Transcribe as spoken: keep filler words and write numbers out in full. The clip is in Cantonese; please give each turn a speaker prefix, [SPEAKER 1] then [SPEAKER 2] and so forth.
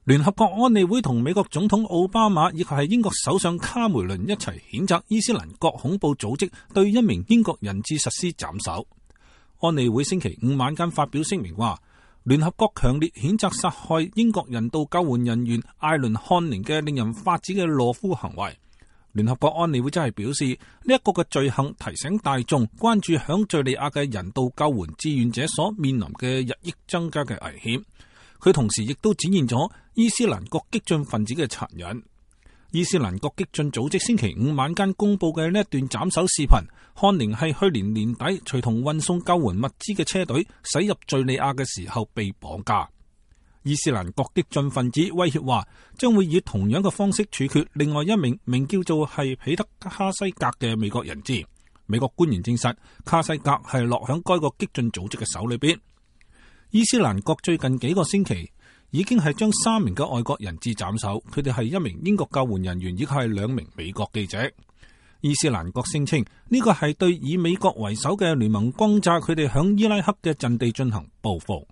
[SPEAKER 1] 聯合國安理會同美國總統奧巴馬以及係英國首相卡梅倫一齊譴責伊斯蘭國恐怖組織對一名英國人質實施斬首。安理會星期五晚間發表聲明話，聯合國強烈譴責殺害英國人道救援人員艾倫漢寧嘅令人髮指嘅懦夫行為。聯合國安理會真係表示，呢一個嘅罪行提醒大眾關注響敘利亞嘅人道救援志願者所面臨嘅日益增加嘅危險。佢同時亦都展現咗伊斯蘭國激進分子嘅殘忍。伊斯蘭國激進組織星期五晚間公布嘅呢一段斬首視頻，漢寧係去年年底隨同運送救援物資嘅車隊駛入敘利亞嘅時候被綁架。伊斯蘭國激進分子威脅話，將會以同樣嘅方式處決另外一名名叫做係彼得卡西格嘅美國人質。美國官員證實，卡西格係落響該個激進組織嘅手裏邊。伊斯蘭國最近幾個星期已經係將三名嘅外國人質斬首，佢哋係一名英國救援人員，以及係兩名美國記者。伊斯蘭國聲稱呢個係對以美國為首嘅聯盟轟炸佢哋響伊拉克嘅陣地進行報復。